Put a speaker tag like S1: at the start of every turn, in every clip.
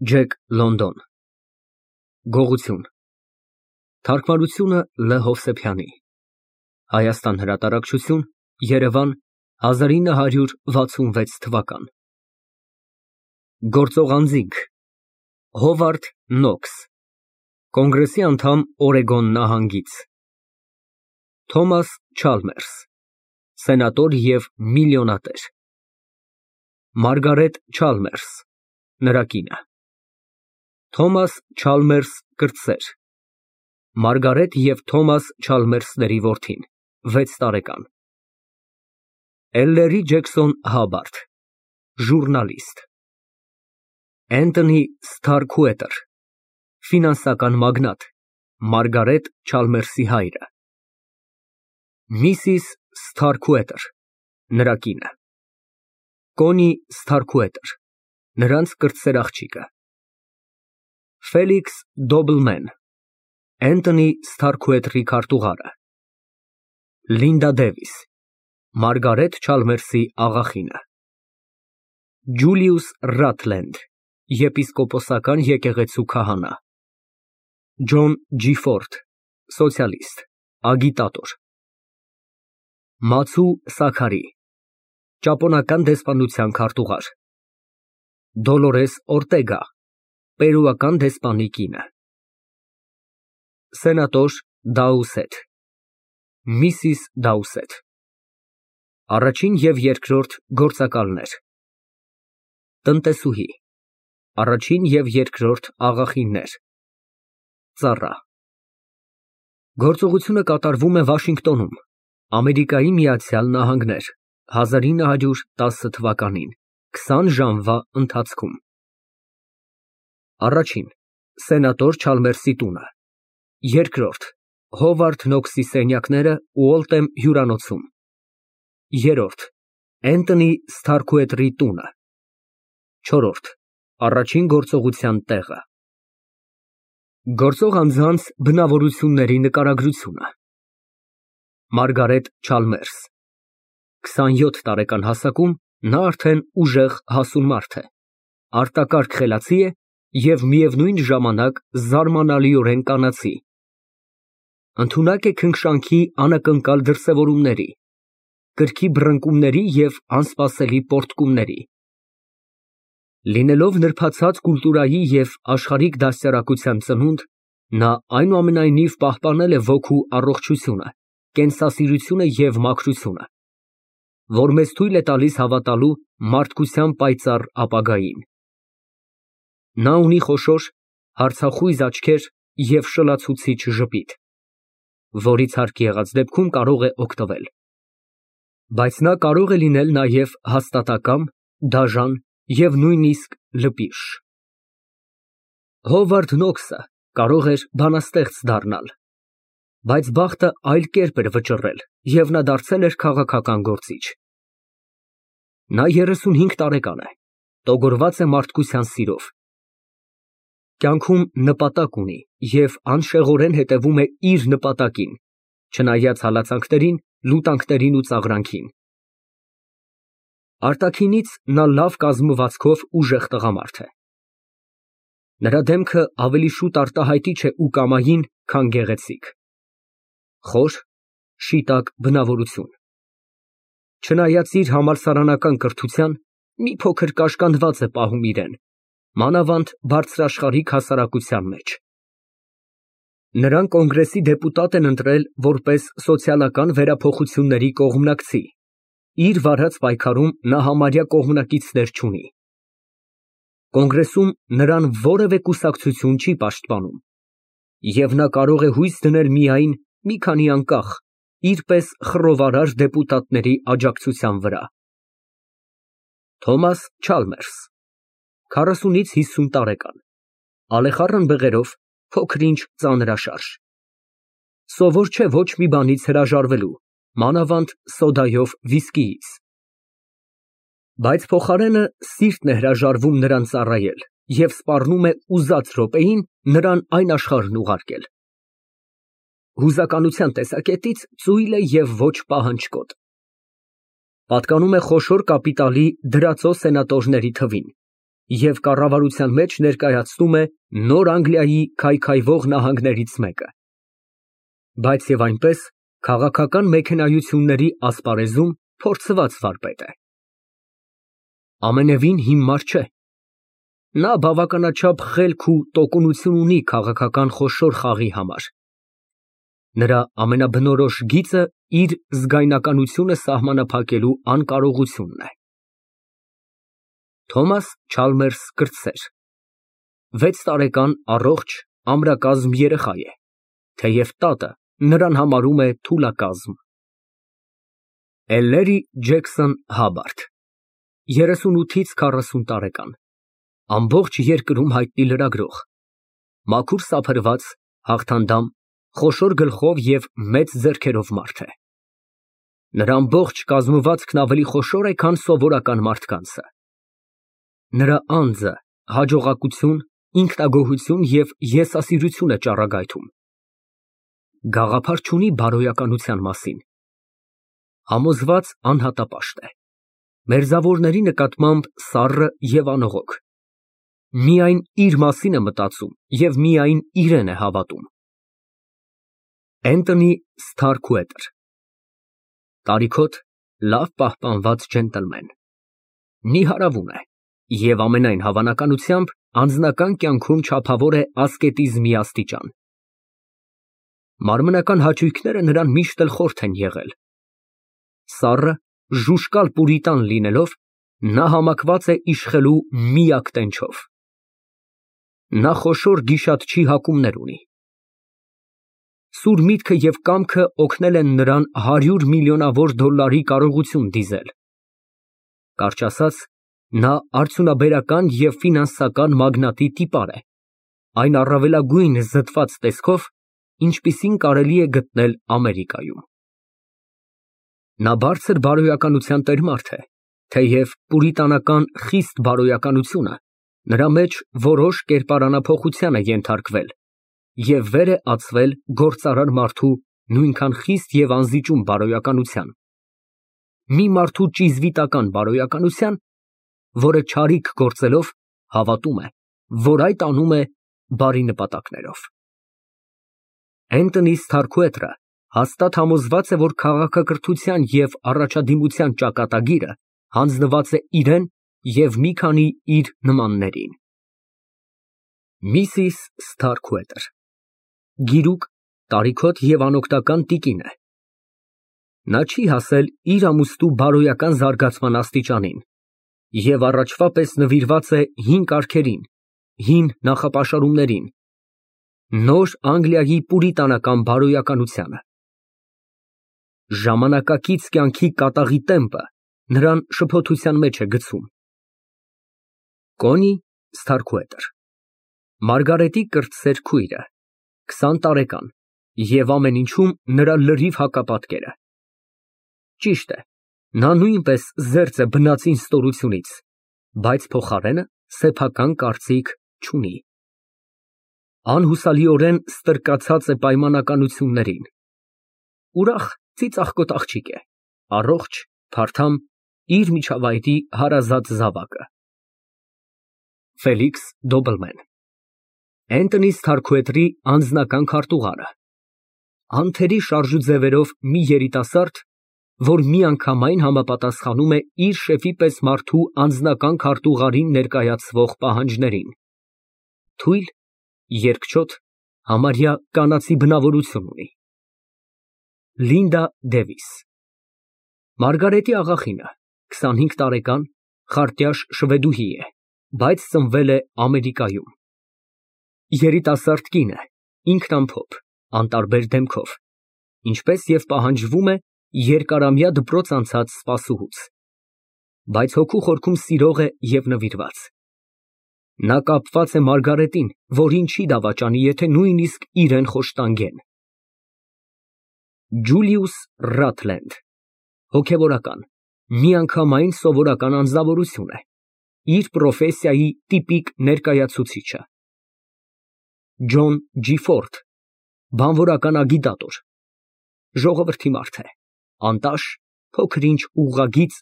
S1: Ջեք Լոնդոն Գողություն Թարգմանությունը Լ. Հովսեփյանի Հայաստան հրատարակչություն Երևան 1966 թվական Գործող անձինք Հովարդ Նոքս Կոնգրեսի անդամ Օրեգոն նահանգից Թոմաս Չալմերս Սենատոր և միլիոնատեր Մարգարետ Չալմերս Նրա կինը Թոմաս Չալմերս կրտսեր Մարգարետ և Թոմաս Չալմերսների որդին 6 տարեկան Էլլերի Ջեքսոն Հաբարդ ժուռնալիստ Էնթոնի Սթարքուետեր ֆինանսական մագնատ Մարգարետ Չալմերսի հայրը Միսիս Սթարքուետեր նրա կինը Կոնի Սթարքուետեր նրանց կրտսեր աղջիկը Ֆելիքս Դոբլմեն Էնթոնի Սթարքուետրի քարտուղարը Լինդա Դևիս Մարգարետ Չալմերսի աղախինը Ջուլիուս Ռաթլենդ եպիսկոպոսական եկեղեցու քահանա Ջոն Ջիֆորդ սոցիալիստ, ագիտատոր Մացու Սաքարի ճապոնական դեսպանության քարտուղար Դոլորես Օրտեգա պերուական դեսպանի կինը Սենատոր Դաուսեթ Միսիս Դաուսեթ Առաջին և երկրորդ գործակալներ Տնտեսուհի Առաջին և երկրորդ աղախիններ Ծառա Գործողությունը կատարվում է Վաշինգտոնում, Ամերիկայի Միացյալ Նահանգներ 1910 թվականին 20 ժամվա ընթացքում Առաջին Սենատոր Չալմերսի տունը Երկրորդ Հովարդ Նոքսի սենյակները Ուոլթեմ հյուրանոցում Երրորդ Էնթոնի Սթարքուետրի տունը Չորրորդ Առաջին գործողության տեղը Գործող անձանց բնավորությունների նկարագրությունը Մարգարետ Չալմերս 27 տարեկան հասակում նա արդեն ուժեղ հասուն մարդ է, արտակարգ խելացի է և միևնույն ժամանակ զարմանալիորեն կանացի, ընդունակ է քնքշանքի անակնկալ դրսևորումների, կրքի բռնկումների և անսպասելի պոռթկումների, լինելով նրբացած կուլտուրայի և աշխարհիկ դաստիարակության ծնունդ, նա այնուամենայնիվ պահպանել է ոգու առողջությունը, կենսասիրությունը և մաքրությունը, որ մեզ թույլ է տալիս հավատալու մարդկության պայծառ ապագային։ Նա ունի խոշոր, հարցախույզ աչքեր և շլացուցիչ ժպիտ, որից հարկ եղած դեպքում կարող է օգտվել, բայց նա կարող է լինել նաև հաստատակամ, դաժան և նույնիսկ լպիշ։ Հովարդ Նոքսը կարող էր բանաստեղծ դառնալ, բայց բախտը այլ կերպ էր վճռել, և նա դարձել էր քաղաքական գործիչ։ Նա 35 տարեկան է, տոգորված է մարդկության սիրով, կյանքում նպատակ ունի և անշեղորեն հետևում է իր նպատակին, չնայած հալածանքներին, լուտանքներին ու ծաղրանքին։ Արտաքինից նա լավ կազմվածքով ուժեղ տղամարդ է։ Նրա դեմքը ավելի շուտ արտահայտիչ է ու կամային, քան գեղեցիկ։ Խոր, շիտակ բնավորություն։ Չնայած իր համալսարանական կրթության, մի փոքր կաշկանդված է պահում իրեն, մանավանդ բարձրաշխարհիկ հասարակության մեջ։ Նրան կոնգրեսի դեպուտատ են ընտրել որպես սոցիալական վերափոխությունների կողմնակցի, իր վարած պայքարում նա համարյա կողմնակիցներ չունի։ Կոնգրեսում նրան որևէ կուսակցություն չի պաշտպանում, և նա կարող է հույս դնել միայն մի քանի անկախ, իր պես խռովարար դեպուտատների աջակցության վրա։ Թոմաս Չալմերս 40-ից 50 տարեկան, ալեխառն բեղերով, փոքր-ինչ ծանրաշարժ, սովոր չէ ոչ մի բանից հրաժարվելու, մանավանդ սոդայով վիսկիից, բայց փոխարենը սիրտն է հրաժարվում նրան ծառայել և սպառնում է ուզած րոպեին նրան այն աշխարհն ուղարկել։ Հուզականության տեսակետից ծույլ է և ոչ պահանջկոտ։ Պատկանում է խոշոր կապիտալի դրածո սենատորների թվին, և կառավարության մեջ ներկայացնում է Նոր Անգլիայի քայքայվող նահանգներից մեկը, բայց և այնպես քաղաքական մեքենայությունների ասպարեզում փորձված վարպետ է։ Ամենևին հիմար չէ։ Նա բավականաչափ խելք ու տոկունություն ունի քաղաքական խոշոր խաղի համար։ Նրա ամենաբնորոշ գիծը իր զգայնականությունը սահմանափակելու անկարողությունն է։ Թոմաս Չալմերս կրտսեր, 6 տարեկան առողջ ամրակազմ երեխա է, թեև տատը նրան համարում է թուլակազմ։ Էլլերի Ջեքսոն Հաբարդ, 38-ից 40 տարեկան, ամբողջ երկրում հայտնի լրագրող, մաքուր սափրված, հաղթանդամ, խոշոր գլխով և մեծ ձեռքերով մարդ է։ Նրա ամբողջ կազմվածքն ավելի խոշոր է, քան սովորական մարդկանցը։ Նրա անձը հաջողակություն, ինքնագոհություն և եսասիրություն է ճառագայթում։ Գաղափար չունի բարոյականության մասին։ Համոզված անհատապաշտ է։ Մերձավորների նկատմամբ սառը և անողոք։ Միայն իր մասին է մտածում և միայն իրեն է հավատում։ Էնթոնի Սթարքուետեր, տարիքոտ լավ պահպանված ջենտլմեն, նիհարավուն է և ամենայն հավանականությամբ անձնական կյանքում չափավոր է ասկետիզմի աստիճան։ Մարմնական հաճույքները նրան միշտ էլ խորթ են եղել։ Սառը, ժուժկալ պուրիտան լինելով, նա համակված է իշխելու միակ տենչով։ Նա խոշոր գիշատչի հակումներ ունի։ Սուր միտքը և կամքը օգնել են նրան 100 միլիոնավոր դոլարի կարողություն դիզել։ Կարճ ասած, նա արդյունաբերական և ֆինանսական մագնատի տիպար է, այն առավելագույն զտված տեսքով, ինչպիսին կարելի է գտնել Ամերիկայում։ Նա բարձր բարոյականության տերմարդ է, թեև պուրիտանական խիստ բարոյականությունը նրա մեջ որոշ կերպարանափոխության է ենթարկվել և վեր է ածվել գործարար մարդու նույնքան խիստ և անզիջում բարոյականության, մի մարդու ճիզվիտական բարոյականության, որը չարիք գործելով հավատում է, որ այդ անում է բարի նպատակներով։ Էնթոնի Սթարքուետերը հաստատ համոզված է, որ քաղաքակրթության և առաջադիմության ճակատագիրը հանձնված է իրան և մի քանի իր նմաններին։ Միսիս Սթարքուետեր, գիրուկ, տարիքոտ և անօգնական տիկին է։ Նա չի հասել իր ամուսնու բարոյական զարգացման աստիճանին և առաջվա պես նվիրված է հին կարգերին, հին նախապաշարումներին, Նոր Անգլիայի պուրիտանական բարոյականությանը։ Ժամանակակից կյանքի կատաղի տեմպը նրան շփոթության մեջ է գցում։ Կոնի Սթարքուետեր, Մարգարետի կրտսեր քույրը, 20 տարեկան և ամեն ինչում նրա լրիվ հակապատկերը։ Ճիշտ է, նա նույնպես զերծ է բնածին ստորությունից, բայց փոխարենը սեփական կարծիք չունի։ Անհուսալիորեն ստրկացած է պայմանականություններին։ Ուրախ, ծիծաղկոտ աղջիկ է, առողջ, փարթամ, իր միջավայրի հարազատ զավակը։ Ֆելիքս Դոբլմեն, Էնթոնի Սթարքուետերի անձնական քարտուղարը, անթերի շարժուձևերով մի երիտասարդ, որ միանգամայն համապատասխանում է իր շեֆի պես մարդու անձնական քարտուղարին ներկայացվող պահանջներին։ Թույլ, երկչոտ, համարյա կանացի բնավորություն ունի։ Լինդա Դևիս, Մարգարետի աղախինը, 25 տարեկան, խարտյաշ շվեդուհի է, բայց ծնվել է Ամերիկայում։ Երիտասարդ կին է, ինքնամփոփ, անտարբեր դեմքով, ինչպես և պահանջվում է երկարամյա դպրոց անցած սպասուհուց, բայց հոգու խորքում սիրող է և նվիրված։ Նա կապված է Մարգարետին, որին չի դավաճանի, եթե նույնիսկ իրան խոշտանգեն։ Ջուլիուս Ռաթլենդ, հոգևորական, միանգամայն սովորական անձնավորություն է, իր պրոֆեսիայի տիպիկ ներկայացուցիչը։ Ջոն Ջի Ֆորդ, բանվորական ագիտատոր, ժողովրդի մարդ է, անտաշ, փոքր-ինչ ուղղագիծ,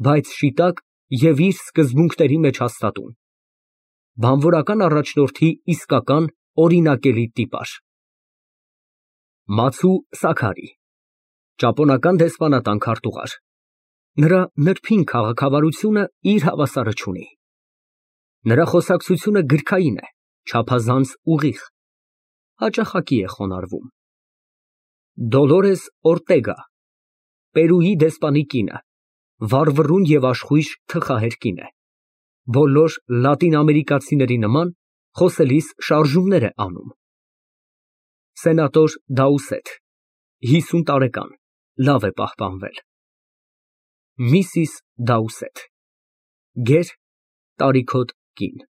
S1: բայց շիտակ և իր սկզբունքների մեջ հաստատուն։ Բանվորական առաջնորդի իսկական օրինակելի տիպաժ։ Մացու Սաքարի, ճապոնական դեսպանատան քարտուղար։ Նրա նրբին քաղաքավարությունը իր հավասարը չունի։ Նրա խոսակցությունը գրքային է, չափազանց ուղիղ, հաճախակի է խոնարհվում։ Դոլորես Օրտեգա, Պերուի դեսպանի կինը, վառվռուն և աշխույժ թխահեր կին է, բոլոր լատինամերիկացիների նման խոսելիս շարժումներ է անում։ Սենատոր Դաուսեթ, 50 տարեկան, լավ է պահպանվել։ Միսիս Դաուսեթ, գեր, տարիքոտ կին։